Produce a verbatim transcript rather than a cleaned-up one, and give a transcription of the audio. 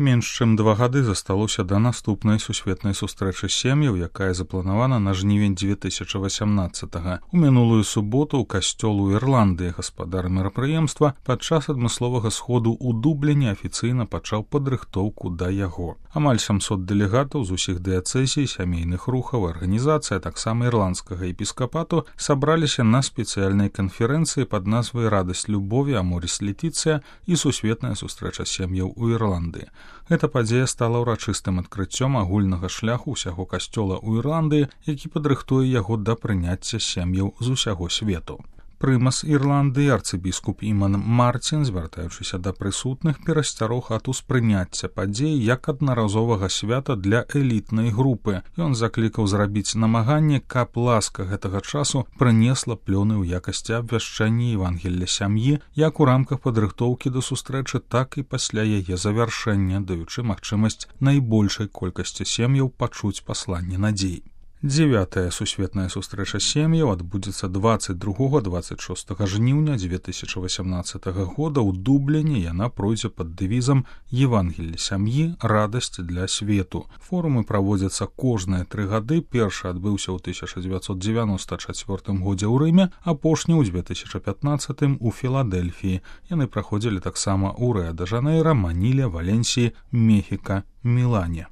Менш чым два гады засталося да наступнай сусветнай сустрэчы сем'яў, якая запланавана на жнівень дзве тысячы васямнаццатага. У мінулую суботу ў касцёл у Ірландыі гаспадар мерапрыемства падчас адмысловага сходу ў Дубліне афіцыйна пачаў падрыхтоўку да яго. Амаль сямсот дэлегатаў з усіх дыяцэзій, сямейных рухаў, арганізацый, а таксама ірландскага епіскапату сабраліся на спецыяльнай канферэнцыі пад назвай «Радасць любові, Аморіс Летіцыя» і сусветная сустрэча сем'яў у Ірландыі. Гэта падзея стала ўрачыстым адкрыццём агульнага шляху ўсяго касцёла ў Ірландыі, які падрыхтуе яго да прыняцця сем'яў з усяго свету. Прымас Ірландыі арцыбіскуп Іман Марцін, звяртаючыся да прысутных, перасцярог ад успрыняцця падзеі як аднаразовага свята для элітнай групы. Ён заклікаў зрабіць намаганне, каб ласка гэтага часу прынесла плёны ў якасці абвяшчэння Евангелля сям'і як у рамках падрыхтоўкі да сустрэчы, так і пасля яе завяршэння, даючы магчымасць найбольшай колькасці сем'яў пачуць пасланне надзей. Дзевятая сусветная сустрэча сем'яў адбудзецца дваццаць другога - дваццаць шостага жніўня дзве тысячы васямнаццатага года ў Дубліне. Яна пройдзе пад дэвізам «Евангелле сям'і. Радасць для свету». Форумы праводзяцца кожныя тры гады. Першы адбыўся ў тысяча дзевяцьсот дзевяноста чацвёртым годзе ў Рыме, апошні ў дзве тысячы пятнаццатым у Філадэльфіі. Яны праходзілі таксама ў Рыа-дэ-Жанэйра, Маніле, Валенсіі, Мехіка, Мілане.